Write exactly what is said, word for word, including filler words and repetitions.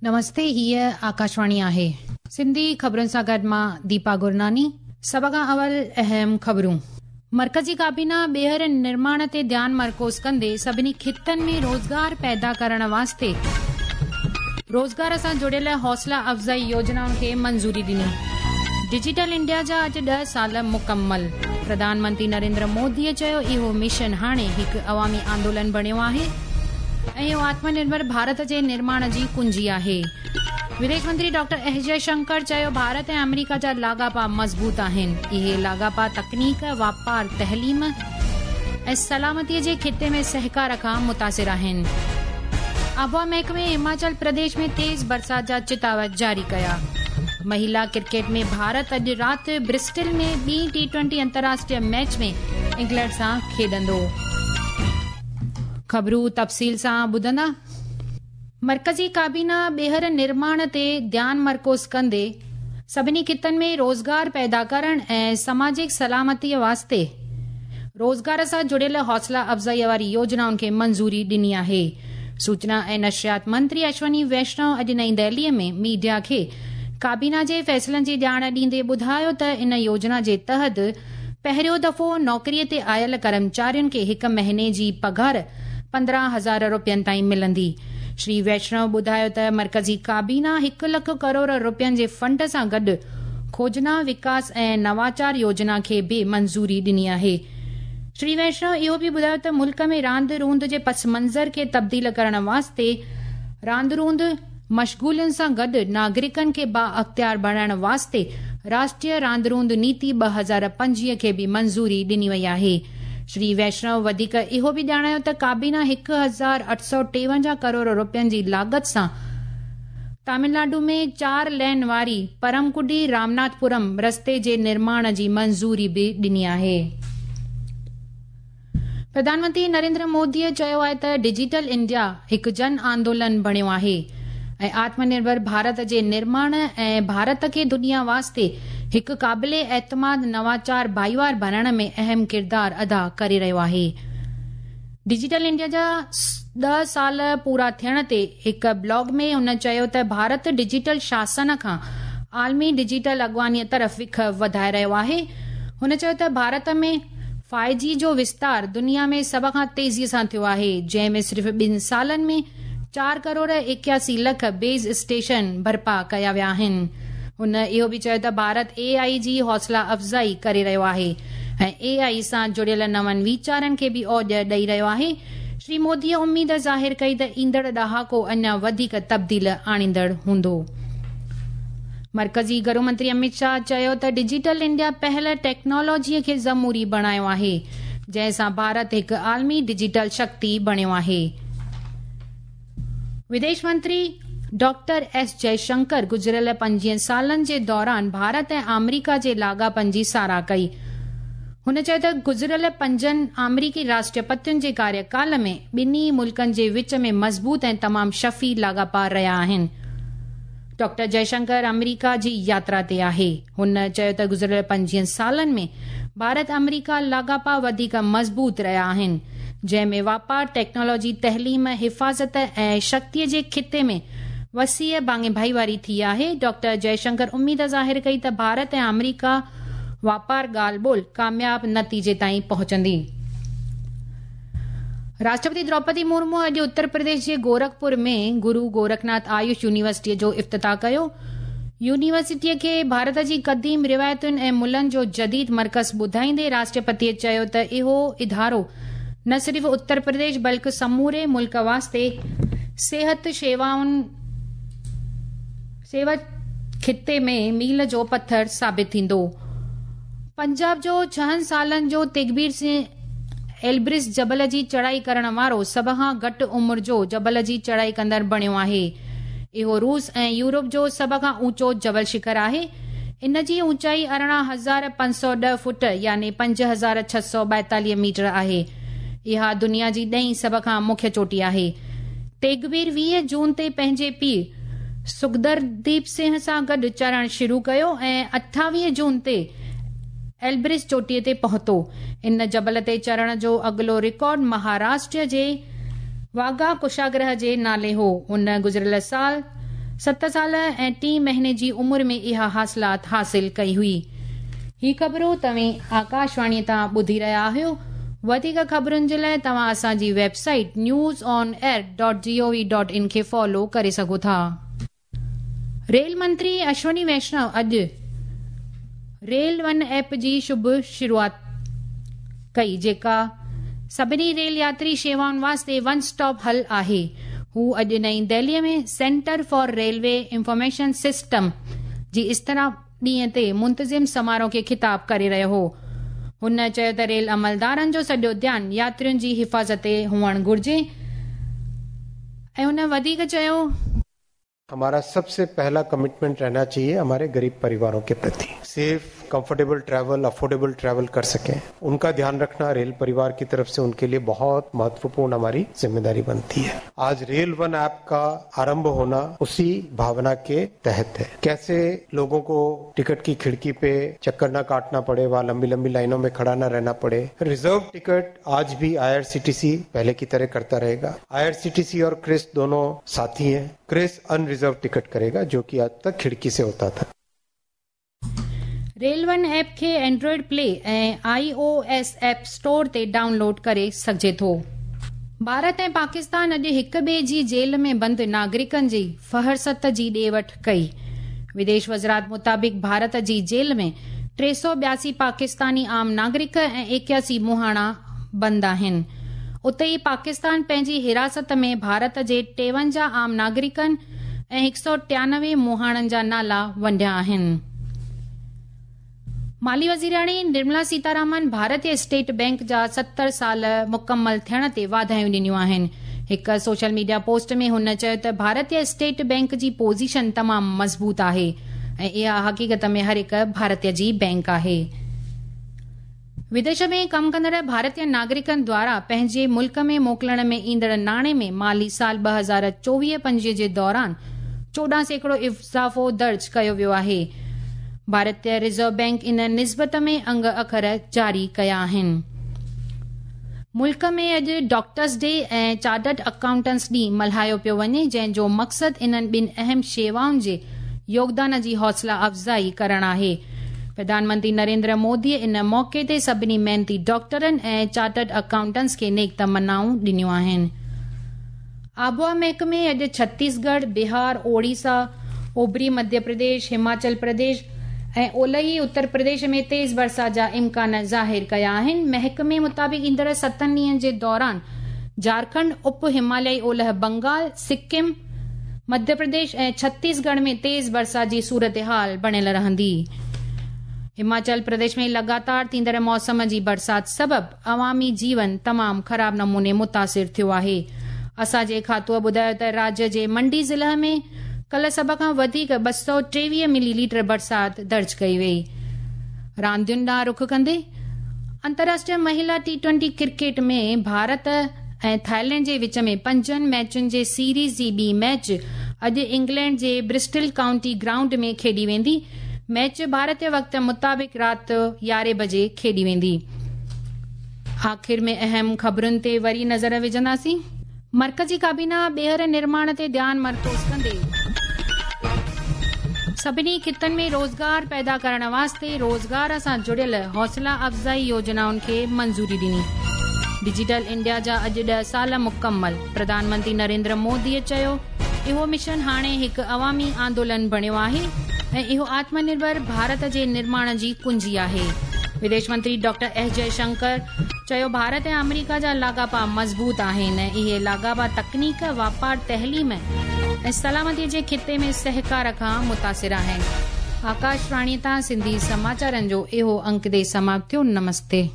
نمستي، هيءَ آڪاشواڻي آهي. سنڌي خبرن سان گڏ مان ديپا گرناني. سڀ کان اول اهم خبرون. مرڪزي ڪابينا ٻيهر نرماڻ تي ڌيان مرڪوز ڪندي سڀني خطن ۾ روزگار پيدا ڪرڻ واسطي روزگار سان جڙيل حوصلا افزائي يوجنائن کي منظوري ڏني. ڊجيٽل انڊيا جا اڄ ڏهه سال مڪمل. پرڌان منتري نريندر موديءَ چيو اهو مشن هاڻي هڪ عوامي آندولن بڻيو آهي ۽ اهو آتم نرڀر ڀارت جي نرماڻ جي ڪنجي آهي. وديش منتري ڊاڪٽر ايس جئشنڪر چيو ڀارت ۽ آمريڪا جا لاڳاپا مضبوط آهن. اهي لاڳاپا تڪنيڪ، واپار، تعليم ۽ سلامتيءَ جي خطي ۾ سهڪار کان متاثر آهن. آبهوا محڪمي هماچل پرديش ۾ تيز برسات جا چتاوت جاري ڪيا. مهلا ڪرڪيٽ ۾ ڀارت اڄ رات برسٽل ۾ ٻي ٽي ٽوئنٽي انترراشٽريه ميچ ۾ انگلينڊ سان کيڏندو. خبرون تفصيل سان ٻڌندا. مرڪزي ڪابينا ٻيهر نرماڻ تي ڌيان مرڪوز ڪندي سڀني خطن ۾ روزگار پيدا ڪرڻ ۽ سماجڪ سلامتيءَ واسطي روزگار سان جڙيل حوصلا افزائيءَ واري يوجنائن کي منظوري ڏني آهي. سوچنا ۽ نشريات منتري اشوني ويشنو اڄ نئين دهليءَ ۾ ميڊيا کي ڪابينا جي فيصلن جي ڄاڻ ڏيندي ٻڌايو ته ان يوجنا جي تحت پهريون دفعو نوڪريءَ تي آيل ڪرمچارين کي هڪ مهيني جي پگهار پندرهن هزار رپين تائين ملندي. شري ويشنو ٻڌايو ته مرڪزي ڪابينا هڪ لک ڪروڙ رپين جي فنڊ سان گڏ کوجنا، وڪاس ۽ نواچار يوجنا کي به منظوري ڏني آهي. شري ويشنو اهو به ٻڌايو ته ملڪ ۾ راند روند جي پس منظر کي تبديل ڪرڻ واسطي راند روند مشغولين سان گڏ ناگرڪن کي با اختيار بڻائڻ واسطي راشٽريه راند روند نيتي ٻه هزار پنجويهه کي به منظوري ڏني وئي آهي. شري ويشنو وڌيڪ اهو به ڄاڻايو ته ڪابينا هڪ هزار اٺ سؤ ٽيونجاهه ڪروڙ رپين جي لاڳت سان تامل ناڊو ۾ چار لين واري پرمڪڊي رامناٿپورم رستي جي نرماڻ جي منظوري به ڏني آهي. پرڌان منتري نريندر موديءَ چيو آهي ته ڊجيٽل انڊيا هڪ جن آندولن بڻيو آهي ۽ آتم نرڀر ڀارت جي نرماڻ ۽ ڀارت کي دنيا واسطي هڪ قابل اعتماد نواچار ڀائيوار بڻائڻ ۾ اهم ڪردار ادا ڪري رهيو آهي. ڊجيٽل انڊيا جا ڏهه سال پورا ٿيڻ تي هڪ بلاگ ۾ هن چيو ته ڀارت ڊجيٽل شاسن کان عالمي ڊجيٽل اڳواڻيءَ طرف وک وڌائي رهيو آهي. هن چيو ته ڀارت ۾ فائيو جي جو وستار دنيا ۾ سڀ کان تيزيءَ سان ٿيو آهي، جنهن ۾ صرف ٻن سالن ۾ چار ڪروڙ ايڪياسي لک بيس اسٽيشن برپا ڪيا ويا آهن. هن اهو به چيو ته ڀارت اي آئي جي حوصلا افزائي ڪري رهيو آهي ۽ اي آئي سان جڙيل نون ويچارن کي به اوج ڏئي رهيو آهي. شري موديءَ اميد ظاهر ڪئي ته ايندڙ ڏهاڪو اڃا وڌيڪ تبديل آڻيندڙ هوندو. مرڪزي گهرو منتري امت شاهه چيو ته ڊجيٽل انڊيا پهل ٽيڪنالاجيءَ کي ضموري بڻايو آهي، جنهن سان ڀارت هڪ عالمي ڊجيٽل شڪتي بڻيو آهي. وديش منتري ڊاڪٽر ايس جئشنڪر گذريل پنجويهه سالن جي دوران ڀارت ۽ آمريڪا جي لاڳاپن جي ساراهه ڪئي. هن چيو ته گذريل پنجن آمريڪي راشٽرپتين جي ڪاريڪال ۾ ٻنهي ملڪن جي وچ ۾ مضبوط ۽ تمام شفي لاڳاپا رهيا آهن. ڊاڪٽر جئشنڪر آمريڪا جي ياترا تي آهي. هن چيو ته گذريل پنجويهه سالن ۾ ڀارت آمريڪا لاڳاپا وڌيڪ مضبوط رهيا آهن، جنهن ۾ واپار، ٽيڪنالاجي، تعليم، حفاظت ۽ شڪتيءَ جي خطي ۾ وسيع ڀاڱي ڀائيواري ٿي آهي. ڊاڪٽر جئشنڪر اميد ظاهر ڪئي ته ڀارت ۽ آمريڪا واپار ڳالهه ٻولهه ڪامياب نتيجي تائين پهچندي. راشٽرپتي دروپدي مرمو اڄ اتر پرديش جي گورکپور ۾ گرو گورکناٿ آيوش يونيورسٽيءَ جو افتتاح ڪيو. يونيورسٽيءَ کي ڀارت جي قديم روايتن ۽ ملن جو جديد مرڪز ٻڌائيندي راشٽرپتيءَ چيو ته اهو ادارو نه صرف اتر پرديش بلڪه سموري ملڪ واسطي صحت شيوائن سيوا خطي ۾ ميل جو پٿر ثابت ٿيندو. پنجاب جو ڇهن سالن جو تيگبير سنگهه ايلبرس جبل جي چڙهائي ڪرڻ وارو سڀ کان گهٽ عمر جو جبل جي چڙهائي ڪندڙ بڻيو آهي. اهو روس ۽ يورپ جو سڀ کان اوچو جبل شکر آهي. ان جي اوچائي ارڙهن هزار پنج سؤ ڏهه فوٽ يعني پنج هزار ڇهه سؤ ٻائيتاليهه ميٽر آهي. اها دنيا جي ڏهين سڀ کان مکيه چوٽي آهي. تيگبير ويهه جون تي پنهنجي پيءُ سکدرديپ سنگهه سان گڏ چڙهڻ شروع ڪيو ۽ اٺاويهه جون تي ايلبرس چوٽيءَ تي پهتو. ان جبل تي چڙهڻ جو اڳلو رڪارڊ مهاراشٽر جي واگها ڪشاگرهه جي نالي هو. هن گذريل سال ست سال ऐं टी महीने जी उमिरि में इहा हासिलात हासिल कई हुई। ही ख़बरूं तव्हीं आकाशवाणी तां ॿुधी रहिया आहियो। वधीक ख़बरुनि जे लाइ तव्हां असांजी website news on air dot G O V dot in खे फॉलो करे सघो था। रेल मंत्री अश्विनी वैष्णव अॼु रेल वन ऐप जी शुभ शुरूआत कई, जेका सभिनी रेल यात्री शेवाउनि वास्ते वन स्टॉप हल आहे। हू अॼु नई दिल्लीअ में centre for railway information system जी इस्थिरा ॾींहं ते मुंतज़िम समारोह खे ख़िताब करे रहियो हो। हुन चयो त रेल अमलदारनि जो सॼो ध्यानु यात्रियुनि जी हिफ़ाज़त ते हुअणु घुरिजे ऐं हुन वधीक चयो, हमारा सबसे पहला कमिटमेंट रहना चाहिए हमारे गरीब परिवारों के प्रति। Safe, comfortable travel, affordable travel कर सकें, उनका ध्यान रखना रेल परिवार की तरफ से उनके लिए बहुत महत्वपूर्ण हमारी जिम्मेदारी बनती है। आज रेल वन ऐप का आरंभ होना उसी भावना के तहत है। कैसे लोगों को टिकट की खिड़की पे चक्कर ना काटना पड़े, वहाँ लंबी लंबी लाइनों में खड़ा ना रहना पड़े। रिजर्व टिकट आज भी I R C T C पहले की तरह करता रहेगा। I R C T C और क्रिस दोनों साथी हैं। क्रिस अनरिजर्व टिकट करेगा, जो कि आज तक खिड़की से होता था। रेल वन ऐप खे एंड्रॉइड प्ले ऐं I O S app store ते डाउनलोड करे सघिजे थो। भारत ऐं पाकिस्तान अॼु हिक ॿिए जी जेल में बंदि नागरिकनि जी फहरिस्त जी ॾे वठ कई। विदेश वज़ारत मुताबिक़ भारत जी जेल में टे सौ ॿियासी पाकिस्तानी आम नागरिक ऐं एकासी मुहाणा बंदि आहिनि। उते ई पाकिस्तान पंहिंजी हिरासत में भारत जे टेवंजाह आम नागरिकनि ऐं हिकु सौ टियानवे मुहाणनि जा नाला वंडिया आहिनि। माली वज़ीराणी निर्मला सीतारामन भारतीय स्टेट बैंक जा सत्तर साल मुकमल थियण ते वाधायूं ॾिनियूं आहिनि। हिकु सोशल मीडिया पोस्ट में हुन चयो त भारतीय स्टेट बैंक जी पोज़ीशन तमामु मज़बूत आहे ऐं इहा हक़ीक़त में हर हिकु भारतीय जी बैंक आहे। विदेश में कमु कंदड़ भारतीय नागरिकनि द्वारा पंहिंजे मुल्क में मोकिलण में ईंदड़ नाणे में माली साल ॿ हज़ार चोवीह पंजवीह जे दौरान चोॾहं सैकड़ो इज़ाफ़ो दर्ज कयो वियो आहे। भारतीय रिज़र्व बैंक इन निस्बत में अंग अखर जारी कया आहिनि। मुल्क में अॼु डॉक्टर्स डे ऐं चार्टर्ड अकाउंटेंट्स ॾींहुं मल्हायो पियो वञे, जंहिंजो मक़सदु इन्हनि ॿिनि अहम शेवाउनि जे योगदान जी हौसला अफ़ज़ाई करणु आहे। प्रधानमंत्री नरेंद्र मोदीअ इन मौक़े ते सभिनी महिनती डॉक्टरनि ऐं चार्टर्ड अकाउंटेंट्स खे नेक तमन्नाऊं ॾिनियूं आहिनि। आबहावा महकमे अॼु छत्तीसगढ़, बिहार, ओडिशा, ओभरी मध्य प्रदेश, हिमाचल प्रदेश ऐं ओलही उत्तर प्रदेश में तेज़ बरसात जा इम्कान ज़ाहिर कया आहिनि। महकमे मुताबिक़ ईंदड़ सतनि ॾींहंनि जे दौरान झारखंड, उप हिमालयी ओलह बंगाल, सिक्किम, मध्य प्रदेश ऐं छत्तीसगढ़ में तेज़ बरसात जी सूरत हाल बणियल रहंदी। हिमाचल प्रदेश में लगातार थींदड़ मौसम जी बरसात सबबि अवामी जीवन तमामु ख़राब नमूने मुतासिर थियो आहे। असांजे खातूअ ॿुधायो त राज्य जे मंडी ज़िले में कल सभ खां वधीक ॿ सौ टेवीह मिलीलीटर बरसात दर्ज कई वई। रांदियुनि ॾांहुं रुख कंदे अंतर्राष्ट्रीय महिला टी ट्वेंटी क्रिकेट में भारत ऐं थाईलैंड जे विच में पंजनि मैचुनि जे सीरीज़ जी ॿी मैच अॼु इंग्लैंड जे ब्रिस्टल काउंटी ग्राउंड में खेॾी वेंदी। मैच भारतीय वक़्त मुताबिक़ राति यारहें बजे खेॾी वेंदी। आख़िर में अहम ख़बरुनि ते वरी नज़र विझंदासीं। मर्कज़ी काबीना ॿीहर निर्माण ते ध्यानु मरकूज़ कंदे सभिनी ख़ितनि में रोज़गार पैदा करण वास्ते रोज़गार सां जुड़ियल हौसला अफ़ज़ाई योजनाउनि खे मंज़ूरी ॾिनी। डिजिटल इंडिया जा अॼु ॾह साल मुकमल। प्रधानमंत्री नरेंद्र मोदीअ चयो इहो मिशन हाणे हिकु अवामी आंदोलन बणियो आहे ऐं इहो आत्मनिर्भर भारत जे निर्माण जी कुंजी आहे। विदेश मंत्री डॉक्टर एस जयशंकर चयो भारत ऐं अमेरिका जा लाॻापा मज़बूत आहिनि ऐं इहे लाॻापा तकनीक, वापार, तहलीम ऐं सलामतीअ जे ख़िते में सहकार खां मुतासिर आहिनि। आकाशवाणी तां सिंधी समाचारनि जो इहो अंक दे समाप्त थियो। नमस्ते।